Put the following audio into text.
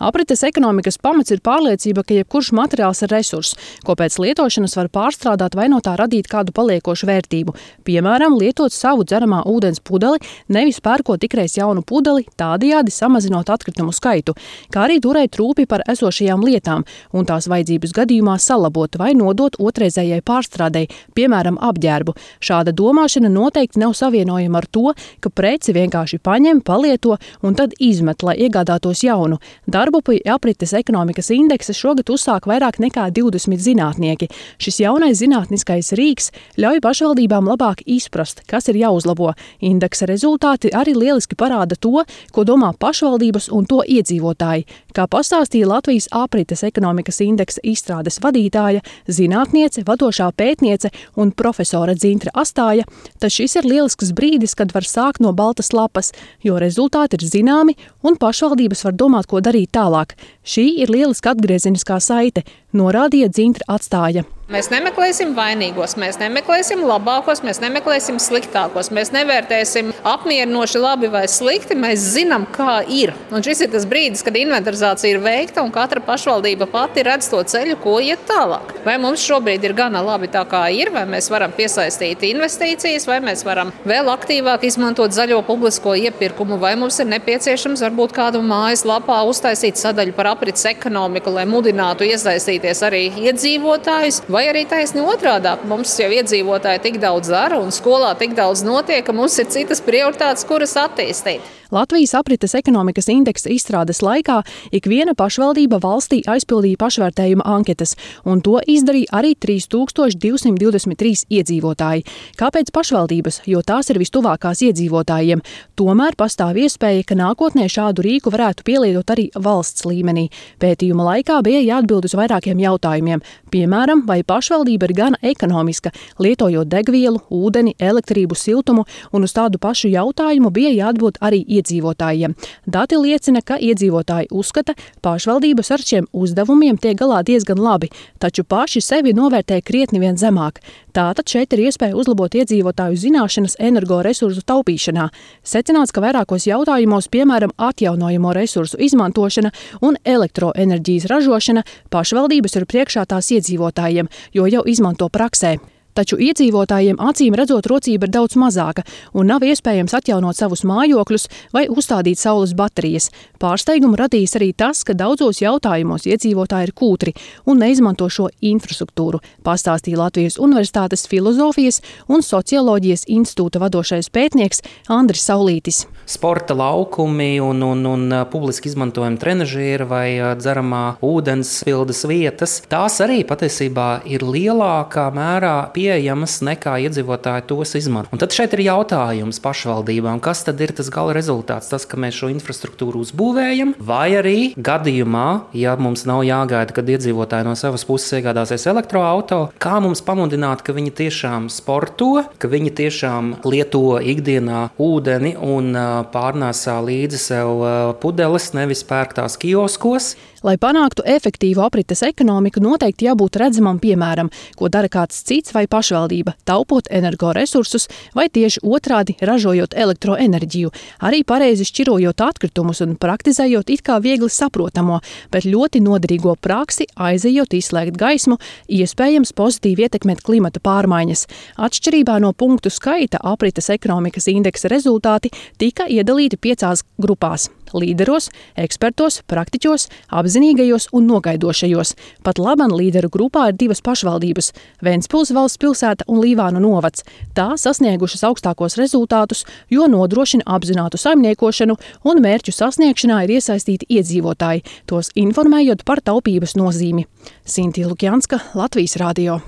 Aprites ekonomikas pamats ir pārliecība, ka jebkurš materiāls ir resurss, ko pēc lietošanas var pārstrādāt vai no tā radīt kādu paliekošu vērtību. Piemēram, lietot savu dzeramā ūdens pudeli, nevis pērkot tikreiz jaunu pudeli, tādējādi samazinot atkritumu skaitu, kā arī turēt rūpi par esošajām lietām un tās vajadzības gadījumā salabot vai nodot otrreizējai pārstrādei, piemēram, apģērbu. Šāda domāšana noteikti nav savienojama ar to, ka preci vienkārši paņem, palieto un tad izmet, lai iegādātos jaunu. Darbu pie aprites ekonomikas indeksa šogad uzsāk vairāk nekā 20 zinātnieki. Šis jaunais zinātniskais rīks ļauj pašvaldībām labāk izprast, kas ir jāuzlabo. Indeksa rezultāti arī lieliski parāda to, ko domā pašvaldības un to iedzīvotāji. Kā pastāstīja Latvijas aprites ekonomikas indeksa izstrādes vadītāja, zinātniece, vadošā pētniece un profesora Dzintra Astāja, tad šis ir lielisks brīdis, kad var sākt no baltas lapas, jo rezultāti ir zināmi un pašvaldības var domāt, ko darīt tālāk. Šī ir lieliska atgriezeniskā saite, norādīja Dzintra Astāja. Mēs nemeklēsim vainīgos, mēs nemeklēsim labākos, mēs nemeklēsim sliktākos, mēs nevērtēsim apmierinoši labi vai slikti, mēs zinām, kā ir. Un šis ir tas brīdis, kad inventarizācija ir veikta un katra pašvaldība pati redz to ceļu, ko iet tālāk. Vai mums šobrīd ir gana labi tā kā ir, vai mēs varam piesaistīt investīcijas, vai mēs varam vēl aktīvāk izmantot zaļo publisko iepirkumu, vai mums ir nepieciešams varbūt kādu mājas lapā uztaisīt sadaļu par aprits ekonomiku, lai mudinātu iesaistīties arī iedzīvotājus. Vai arī taisni otrādāk, mums jau iedzīvotāji tik daudz dara un skolā tik daudz notiek, ka mums ir citas prioritātes, kuras attīstīt. Latvijas aprites ekonomikas indeksa izstrādes laikā ikviena pašvaldība valstī aizpildīja pašvērtējuma anketas, un to izdarīja arī 3223 iedzīvotāji. Kāpēc pašvaldības? Jo tās ir vistuvākās iedzīvotājiem. Tomēr pastāv iespēja, ka nākotnē šādu rīku varētu pielietot arī valsts līmenī. Pētījuma laikā bija jāatbild uz vairākiem jautājumiem. Piemēram, vai pašvaldība ir gana ekonomiska, lietojot degvielu, ūdeni, elektrību, siltumu, un uz tādu pašu jautājumu bija jāatbild arī iedzīvotājiem. Dati liecina, ka iedzīvotāji uzskata, pašvaldības ar šiem uzdevumiem tiek galā diezgan labi, taču paši sevi novērtē krietni vien zemāk. Tātad šeit ir iespēja uzlabot iedzīvotāju zināšanas energoresursu taupīšanā. Secināts, ka vairākos jautājumos, piemēram, atjaunojamo resursu izmantošana un elektroenerģijas ražošana, pašvaldības ir priekšā tās iedzīvotājiem, jo jau izmanto praksē. Taču iedzīvotājiem acīm redzot rocība ir daudz mazāka un nav iespējams atjaunot savus mājokļus vai uzstādīt saules baterijas. Pārsteigumu radīs arī tas, ka daudzos jautājumos iedzīvotāji ir kūtri un neizmanto šo infrastruktūru, pastāstīja Latvijas Universitātes Filozofijas un Socioloģijas institūta vadošais pētnieks Andris Saulītis. Sporta laukumi un publiski izmantojami trenažieri vai dzeramā ūdens pildes vietas, tās arī patiesībā ir lielākā mērā pieejamas nekā iedzīvotāji tos izmanto. Un tad šeit ir jautājums pašvaldībām, kas tad ir tas gala rezultāts, tas, ka mēs šo infrastruktūru uzbūvējam, vai arī gadījumā, ja mums nav jāgaida, kad iedzīvotāji no savas puses iegādāsies elektroauto, kā mums pamudināt, ka viņi tiešām sporto, ka viņi tiešām lieto ikdienā ūdeni un pārnēsā līdzi sev pudeles, nevis pērktās kioskos. Lai panāktu efektīvu aprites ekonomiku, noteikti jābūt redzamam piemēram, ko dara kāds cits vai pašvaldība, taupot energoresursus vai tieši otrādi ražojot elektroenerģiju, arī pareizi šķirojot atkritumus un praktizējot it kā viegli saprotamo, bet ļoti noderīgo praksi, aizejot izslēgt gaismu, iespējams pozitīvi ietekmēt klimata pārmaiņas. Atšķirībā no punktu skaita aprites ekonomikas indeksa rezultāti tika iedalīti 5 grupās. Līderos, ekspertos, praktiķos, apzinīgajos un nogaidošajos. Pat laban līderu grupā ir 2 pašvaldības – Ventspils valsts pilsēta un Līvānu novads. Tā sasniegušas augstākos rezultātus, jo nodrošina apzinātu saimniekošanu un mērķu sasniegšanā ir iesaistīti iedzīvotāji, tos informējot par taupības nozīmi. Sintīna Lukjanska, Latvijas radio.